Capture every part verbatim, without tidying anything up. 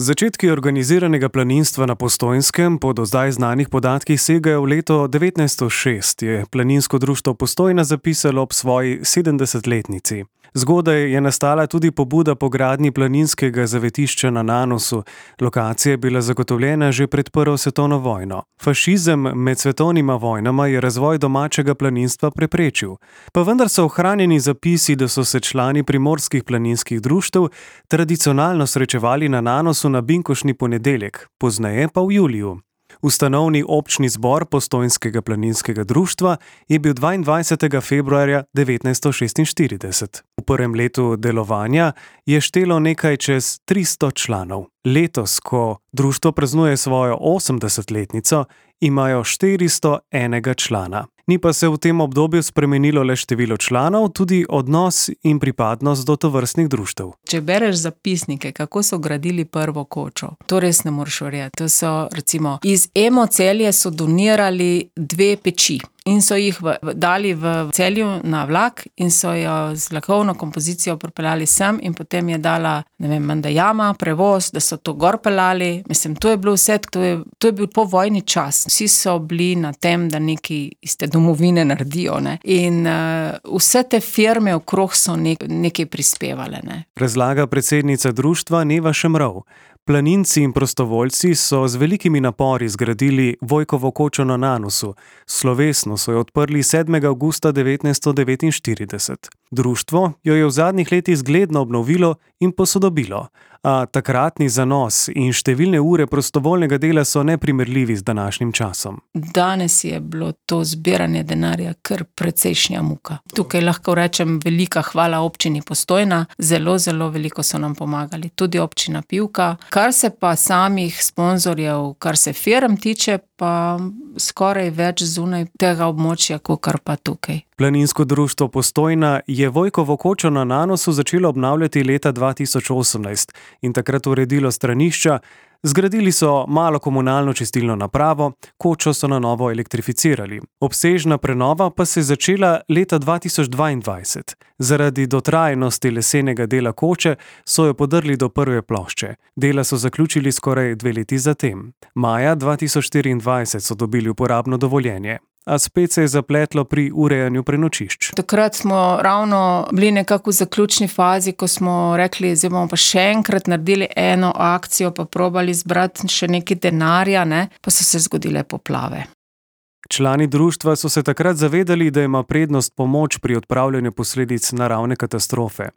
Začetki organiziranega planinstva na Postojnskem po do zdaj znanih podatkih segajo v leto devetnajststo šest, je Planinsko društvo Postojna zapisalo ob svoji sedemdesetletnici. Zgodaj je nastala tudi pobuda po gradnji planinskega zavetišča na Nanosu. Lokacija je bila zagotovljena že pred prvo svetovno vojno. Fašizem med svetovnima vojnama je razvoj domačega planinstva preprečil. Pa vendar so ohranjeni zapisi, da so se člani primorskih planinskih društev tradicionalno srečevali na Nanosu na binkoštni ponedeljek, pozneje pa v juliju. Ustanovni občni zbor Postojnskega planinskega društva je bil dvaindvajsetega februarja devetnajststo šestinštirideset. V prvem letu delovanja je štelo nekaj čez tristo članov. Letos, ko društvo praznuje svojo osemdesetletnico, imajo štiristo enega člana. Ni pa se v tem obdobju spremenilo le število članov, tudi odnos in pripadnost do tovrstnih društev. Če bereš zapisnike, kako so gradili prvo kočo, to res ne moreš verjeti. To so, recimo, iz Emo Celje so donirali dve peči in so jih v, v, dali v Celju na vlak in so jo z vlakovno kompozicijo pripeljali sem in potem je dala, ne vem, menda jama, prevoz, da so to gor peljali. Mislim, to je bilo vse, to je, to je bil povojni čas. Vsi so bili na tem, da nekaj iz te domovine naredijo, ne. In uh, vse te firme okrog so nek, nekaj prispevale, ne. Razlaga predsednica društva Neva Šemrov. Planinci in prostovoljci so z velikimi napori zgradili Vojkovo kočo na Nanosu. Slovesno so jo odprli sedmega avgusta devetnajststo devetinštirideset. Društvo jo je v zadnjih letih zgledno obnovilo in posodobilo, a takratni zanos in številne ure prostovoljnega dela so neprimerljivi z današnjim časom. Danes je bilo to zbiranje denarja kar precejšnja muka. Tukaj lahko rečem velika hvala občini Postojna, zelo, zelo veliko so nam pomagali, tudi občina Pivka. Kar se pa samih sponzorjev, kar se firm tiče, pa skoraj več zunaj tega območja, kakor pa tukaj. Planinsko društvo Postojna je Vojkovo kočo na Nanosu začelo obnavljati leta dva tisoč osemnajst in takrat uredilo stranišča. Zgradili so malo komunalno čistilno napravo, kočo so na novo elektrificirali. Obsežna prenova pa se je začela leta dva tisoč dvaindvajset. Zaradi dotrajanosti lesenega dela koče so jo podrli do prve plošče. Dela so zaključili skoraj dve leti zatem. Maja dva tisoč štiriindvajset so dobili uporabno dovoljenje. A spet se je zapletlo pri urejanju prenočišč. Takrat smo ravno bili nekako v zaključni fazi, ko smo rekli, zdaj bomo pa še enkrat naredili eno akcijo, pa probali zbrati še nekaj denarja, ne, pa so se zgodile poplave. Člani društva so se takrat zavedali, da ima prednost pomoč pri odpravljanju posledic naravne katastrofe.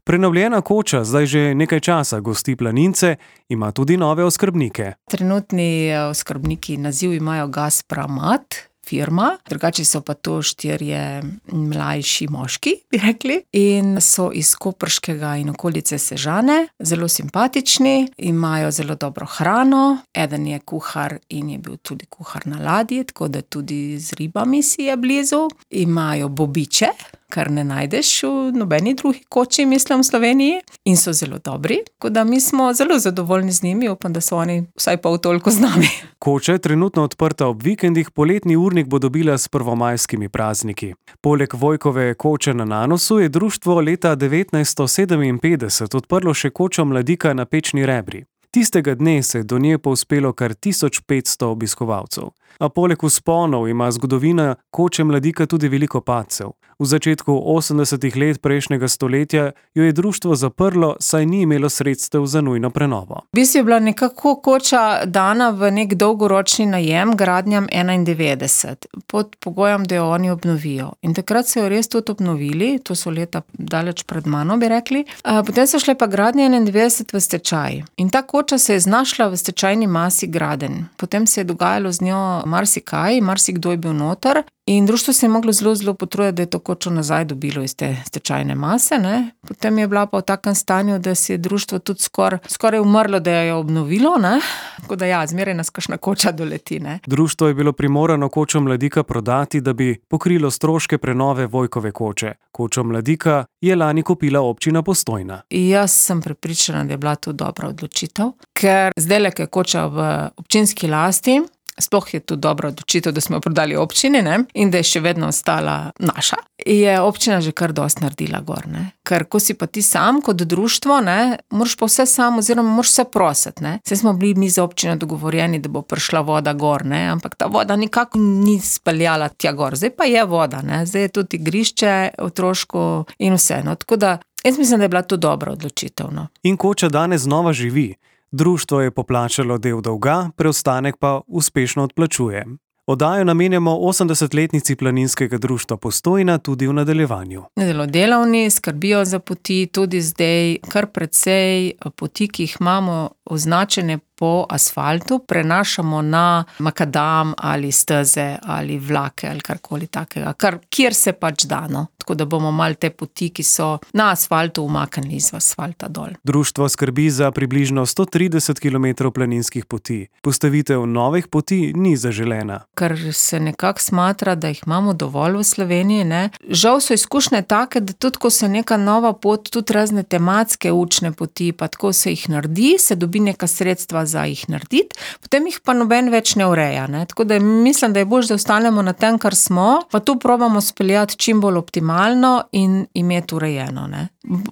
Prenovljena koča zdaj že nekaj časa gosti planince, ima tudi nove oskrbnike. Trenutni oskrbniki naziv imajo Gaspramat, firma, drugače so pa to štirje mlajši moški, bi rekli, in so iz Koprškega in okolice Sežane, zelo simpatični, imajo zelo dobro hrano, eden je kuhar in je bil tudi kuhar na ladji, tako da tudi z ribami si je blizu, imajo bobiče, kar ne najdeš v nobeni drugi koči, mislim, v Sloveniji, in so zelo dobri, tako da mi smo zelo zadovoljni z njimi, upam, da so oni vsaj pol toliko z nami. Koča je trenutno odprta ob vikendih, poletni urnik bo dobila s prvomajskimi prazniki. Poleg Vojkove koče na Nanosu je društvo leta devetnajststo sedeminpetdeset odprlo še kočo Mladika na Pečni Rebri. Tistega dne se je do nje povzpelo kar tisoč petsto obiskovalcev. A poleg vzponov ima zgodovina koče Mladika tudi veliko padcev. V začetku osemdesetih let prejšnjega stoletja jo je društvo zaprlo, saj ni imelo sredstev za nujno prenovo. V bistvu je bila nekako koča dana v nek dolgoročni najem gradnjam enaindevetdeset, pod pogojem, da jo oni obnovijo. In takrat so jo res tudi obnovili, to so leta daleč pred mano, bi rekli. Potem so šle pa gradnje enaindevetdeset v stečaj. In ta koča se je znašla v stečajni masi Graden. Potem se je dogajalo z njo marsikaj, marsikdo je bil noter. In društvo se je moglo zelo, zelo potruditi, da je to kočo nazaj dobilo iz te stečajne mase, ne. Potem je bila pa v takem stanju, da si je društvo tudi skoraj, skoraj umrlo, da jo je obnovilo, ne. Tako da ja, zmeraj nas kakšna koča doleti, ne. Društvo je bilo primorano kočo Mladika prodati, da bi pokrilo stroške prenove Vojkove koče. Kočo Mladika je lani kupila občina Postojna. Jaz sem prepričana, da je bila to dobra odločitev, ker zdajle, ko je koča v občinski lasti, sploh je to dobra odločitev, da smo jo prodali občini, ne, in da je še vedno ostala naša, je občina že kar dosti naredila gor, ne. Ker ko si pa ti sam kot društvo, ne, moraš pa vse sam oziroma moraš vse prositi, ne. Saj smo bili mi z občino dogovorjeni, da bo prišla voda gor, ne, ampak ta voda nikako ni speljala tja gor. Zdaj pa je voda, ne, zdaj je tudi igrišče otroško in vse, no, tako da jaz mislim, da je bila to dobra odločitev, no. In Koča danes znova živi. Društvo je poplačalo del dolga, preostanek pa uspešno odplačuje. Oddajo namenjamo osemdesetletnici Planinskega društva Postojna tudi v nadaljevanju. Zelo delavni, skrbijo za poti, tudi zdaj kar precej poti, ki jih imamo označene po asfaltu, prenašamo na makadam ali steze ali vlake ali karkoli takega, kar, kjer se pač da, no. Tako da bomo malo te poti, ki so na asfaltu, umaknili iz asfalta dol. Društvo skrbi za približno sto trideset kilometrov planinskih poti. Postavitev novih poti ni zaželena. Ker se nekako smatra, da jih imamo dovolj v Sloveniji, ne. Žal so izkušnje take, da tudi ko se neka nova pot, tudi razne tematske učne poti, pa tako se jih naredi, se dobi neka sredstva za jih narediti, potem jih pa noben več ne ureja, ne. Tako da mislim, da je bolj, da ostanemo na tem, kar smo, pa tu probamo speljati čim bolj optimalno in imeti urejeno, ne.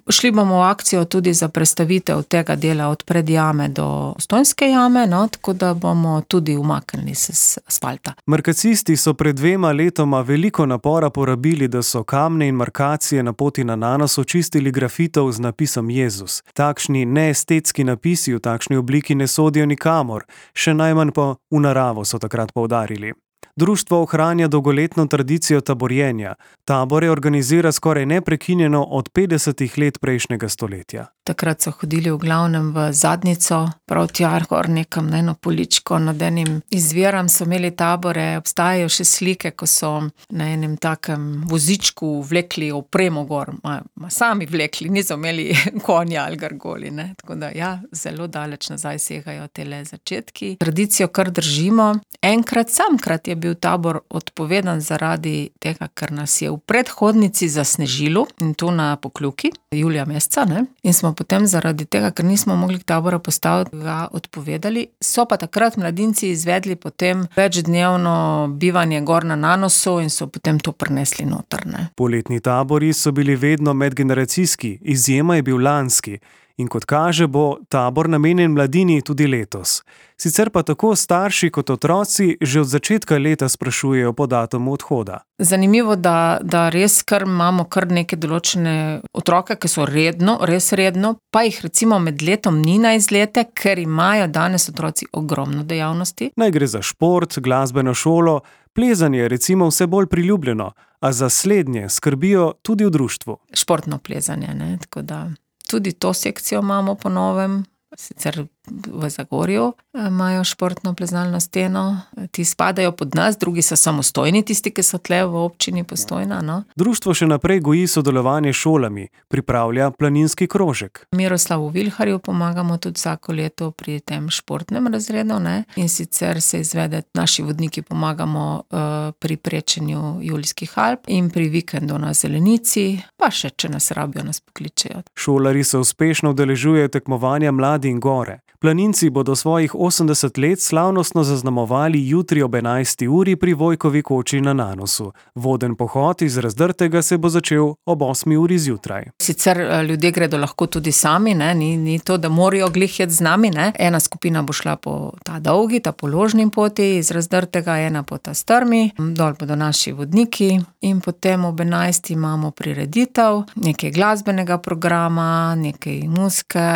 Šli bomo v akcijo tudi za prestavitev tega dela od predjame do Postojnske jame, no, tako da bomo tudi umaknili se z asfalta. Markacisti so pred dvema letoma veliko napora porabili, da so kamne in markacije na poti na Nanos očistili grafitov z napisom Jezus. Takšni neestetski napisi v takšni obliki ne sodijo nikamor, še najmanj pa v naravo, so takrat poudarili. Društvo ohranja dolgoletno tradicijo taborjenja. Tabore organizira skoraj neprekinjeno od petdesetih let prejšnjega stoletja. Takrat so hodili v glavnem v Zadnjico, prav tja gor nekam na eno poličko, nad enim izvirom so imeli tabore, obstajajo še slike, ko so na enem takem vozičku vlekli opremo gor, ma, ma sami vlekli, niso imeli konja ali gargoli, ne. Tako da ja, zelo daleč nazaj segajo tele začetki. Tradicijo kar držimo. Enkrat, samkrat je bil tabor odpovedan zaradi tega, ker nas je v predhodnici zasnežilo, in to na Pokljuki, julija meseca, ne. In smo potem zaradi tega, ker nismo mogli tabora postaviti, ga odpovedali. So pa takrat mladinci izvedli potem večdnevno bivanje gor na Nanosu in so potem to prinesli noter, ne. Poletni tabori so bili vedno medgeneracijski, izjema je bil lanski. In kot kaže, bo tabor namenjen mladini tudi letos. Sicer pa tako starši kot otroci že od začetka leta sprašujejo po datumu odhoda. Zanimivo, da, da res kar imamo kar neke določene otroke, ki so redno, res redno, pa jih recimo med letom ni na izlete, ker imajo danes otroci ogromno dejavnosti. Naj gre za šport, glasbeno šolo, plezanje recimo vse bolj priljubljeno, a za slednje skrbijo tudi v društvu. Športno plezanje, ne, tako da tudi to sekcijo imamo po novem, sicer v Zagorju imajo športno plezalno steno, ti spadajo pod nas, drugi so samostojni, tisti, ki so tle v občini Postojna, no. Društvo še naprej goji sodelovanje s šolami, pripravlja planinski krožek. Miroslavu Vilharju pomagamo tudi vsako leto pri tem športnem razredu, ne, in sicer se izvede, naši vodniki pomagamo uh, pri prečenju Julijskih Alp in pri vikendu na Zelenici, pa še, če nas rabijo, nas pokličejo. Šolari se uspešno udeležujejo tekmovanja Mladi in gore. Planinci bodo svojih osemdeset let slavnostno zaznamovali jutri ob enajsti uri pri Vojkovi koči na Nanosu. Voden pohod iz Razdrtega se bo začel ob osmi uri zjutraj. Sicer ljudje gredo lahko tudi sami, ne, ni, ni to, da morajo glih iti z nami, ne. Ena skupina bo šla po ta dolgi, ta položni poti iz Razdrtega, ena po ta strmi, dol bodo naši vodniki in potem ob enajsti imamo prireditev, nekaj glasbenega programa, nekaj muzike,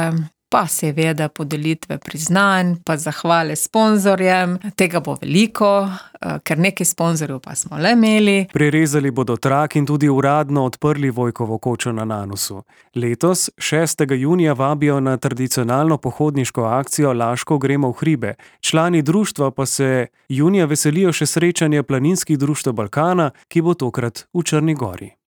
pa seveda podelitve priznanj, pa zahvale sponzorjem. Tega bo veliko, ker nekaj sponzorjev pa smo le imeli. Prerezali bodo trak in tudi uradno odprli Vojkovo kočo na Nanosu. Letos, šestega junija, vabijo na tradicionalno pohodniško akcijo Laško gremo v hribe. Člani društva pa se junija veselijo še srečanja planinskih društev Balkana, ki bo tokrat v Črni Gori.